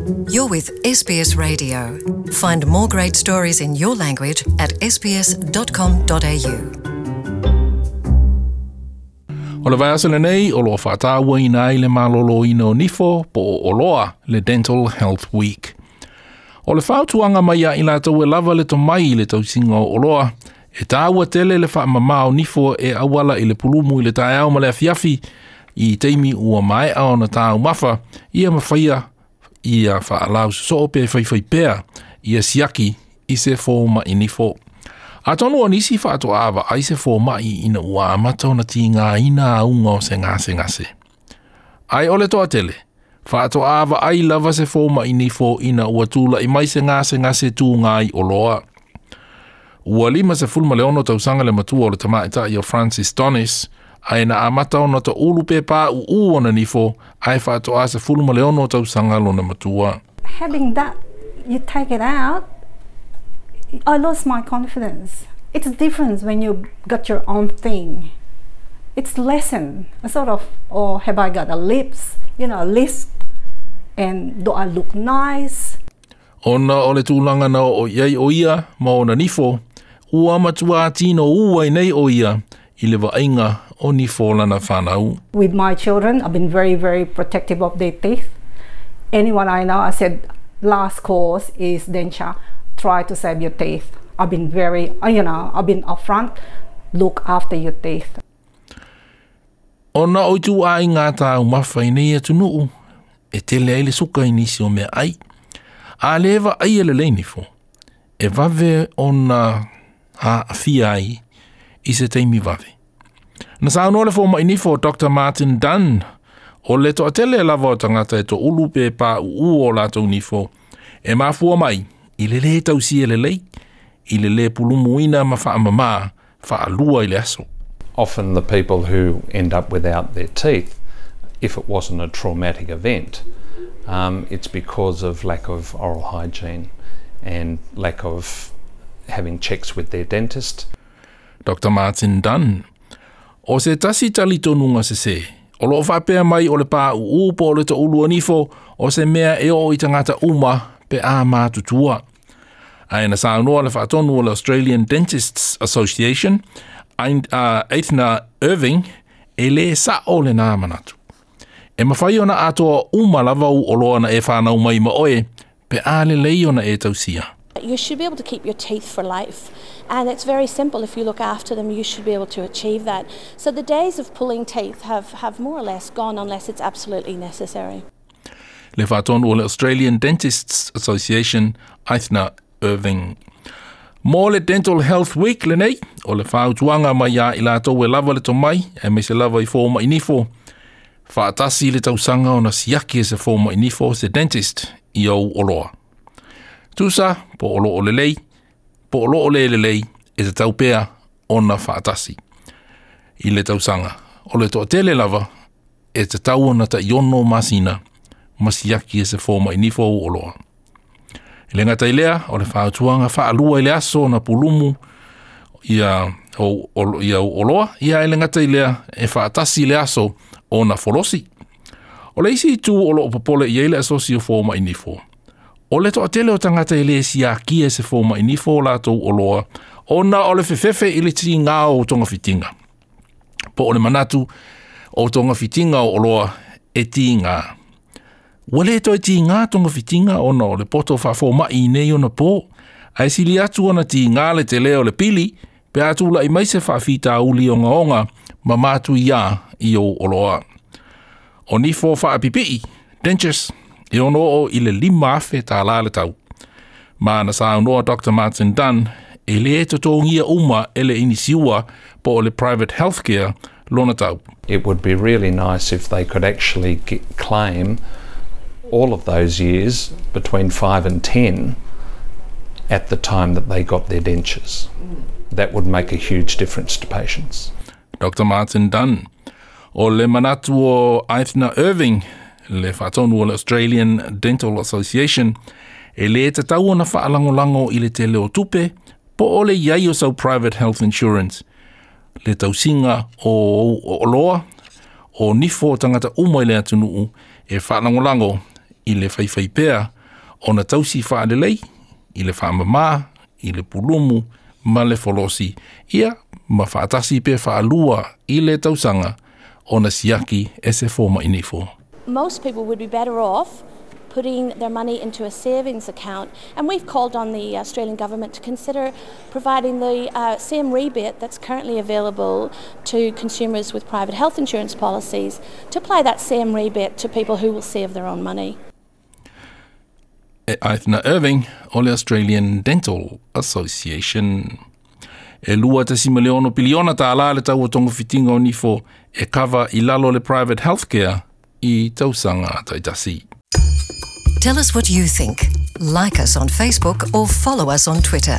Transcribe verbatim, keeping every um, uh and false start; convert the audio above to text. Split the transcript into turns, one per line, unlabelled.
You're with S B S Radio. Find more great stories in your language at s b s dot com dot a u.
O le vaiaso lenei o loa whaataua ina ai le malolo ina o nifo po o oloa le Dental Health Week. O le whautuanga mai a i lātou e lava le tomai i le tausinga o oloa, e tāua tele le whaamama o nifo e awala i le pulumu i le taeao ma le afiafi i teimi ua maea ona tāu mafa, ia mawhaia ia whaalau soo pe whaiwhai pea ia siaki i se fōma i nifo. A tonu o nisi whaatoa awa ai se fōma i ina ua amata ona ti ngā ina aunga o se ngase ngase. Ai ole toa tele, whaatoa awa ai lava se fōma i nifo ina ua tūla i mai se ngase ngase tū ngāi o loa. Ua lima se fulma le ono tausanga le matua o le tamaita i o Francis Donis, ai na amata ona ta ulu pe pā u u ona nifo, ai whaatoa se fulma le ono tausanga lona matua.
Having that, you take it out, I lost my confidence. It's different when you got your own thing. It's lesson, a sort of, oh, have I got a lips, you know, a lisp, and do I look nice?
Ona o le tūlanga na o iai o ia, ma ona nifo, ua matua tino ua i nei o ia, i le vainga o nifo lana whanau.
With my children, I've been very, very protective of their teeth. Anyone I know, I said, last course is denture. Try to save your teeth. I've been very, you know, I've been upfront. Look after your teeth.
Ona o tu ai ngā tāu mawhai nei atunuu, e tele ai le suka i nisi o mea ai. A lewa ai ele leinifo, e vave ona ha awhia ai i se teimi vave. Na saunoa le fōma i nifo Doctor Martin Dunn, o le toa tele lava o tangata e to ulu pe pā uu o lātou nifo, e mafua mai, i le le tausi e le lei, i le le pulumuina ma whaamama, whaalua i le aso.
Often the people who end up without their teeth, if it wasn't a traumatic event, um, it's because of lack of oral hygiene and lack of having checks with their dentist.
Doctor Martin Dunn, o se tasi tali tonunga se se, o loo whapea mai o le pā uu po o le to ulu anifo, o se mea e o i tangata uma pe a mātutua. Ai na saunoa le whaatonu o le Australian Dentists Association, Aithna Irving, e le sa o le nā manatu. E mawhai ona atoa uma lava u oloa na e whanau mai ma oe, pe a le lei ona e tausia.
You should be able to keep your teeth for life, and it's very simple. If you look after them, you should be able to achieve that. So the days of pulling teeth have, have more or less gone unless it's absolutely necessary.
Le whaatonu o le Australian Dentists Association, Aithna Irving. Mō le Dental Health Week le nei, o le whautuanga mai a i lātou e lava le tomai, e me se lava i fōma i nifo. Whaatasi le tausanga o na siaki e se fōma i nifo se dentist i au oloa. Tusa, po olo o le lei, po olo o le le lei, e te taupea ona whaatasi. I le tausanga, o le toa tele lava, e te tau ona ta iono masina, masiaki e se fōma i nifo au oloa. I le ngata ilea, o le whautuanga whaalua i le aso na pulumu ia o, o, ia o oloa, ia i le ngata ilea e whaatasi le aso o na folosi. O le isi tu o loo popole i eile asosi o fōma i nifo. O le toa tele o tangata i le siaki e se fōma i nifo o lātou oloa, o na o le fefefe i le ti ngā o tonga fitinga. Po o le manatu o tonga fitinga o oloa e ti ngā. Ua le toi ti ngā tonga fitinga ona o le poto whaafōma i nei ona pō, ai sili atu ona ti ngā le te leo le pili, pe atu la i mai se whaafita uli o ngaonga ma mātu ia i o oloa. O nifo whaapipii, dentures, e ono o i le lima afe tā la le tau. Ma na saunoa Doctor Martin Dunn, e le e totongia uma e le inisiua po o le private healthcare lona tau.
It would be really nice if they could actually get, claim all of those years between five and ten at the time that they got their dentures. That would make a huge difference to patients.
Doctor Martin Dunn. O le manatu o Aithna Irving, le whaatonu o le Australian Dental Association, e le te tau ona whaalangolango i le tele o tupe, po o le iai o sau private health insurance. Le tausinga o, o, o loa, o nifo tangata uma i le atunuu, e whaalangolango i le whaiwhai pea Ona tausi faalelei i le faamamā i le pulumu ma le folosi ia ma faatasi pe faalua i le tausaga ona siaki e se foma'i nifo.
Most people would be better off putting their money into a savings account, and we've called on the Australian government to consider providing the uh, same rebate that's currently available to consumers with private health insurance policies, to apply that same rebate to people who will save their own money.
E Eithne Irving o le Australian Dental Association. E lua tasima le ono piliona tālā le tau o togafitiga o nifo e kava i lalo le private healthcare i tausaga taitasi.
Tell us what you think. Like us on Facebook or follow us on Twitter.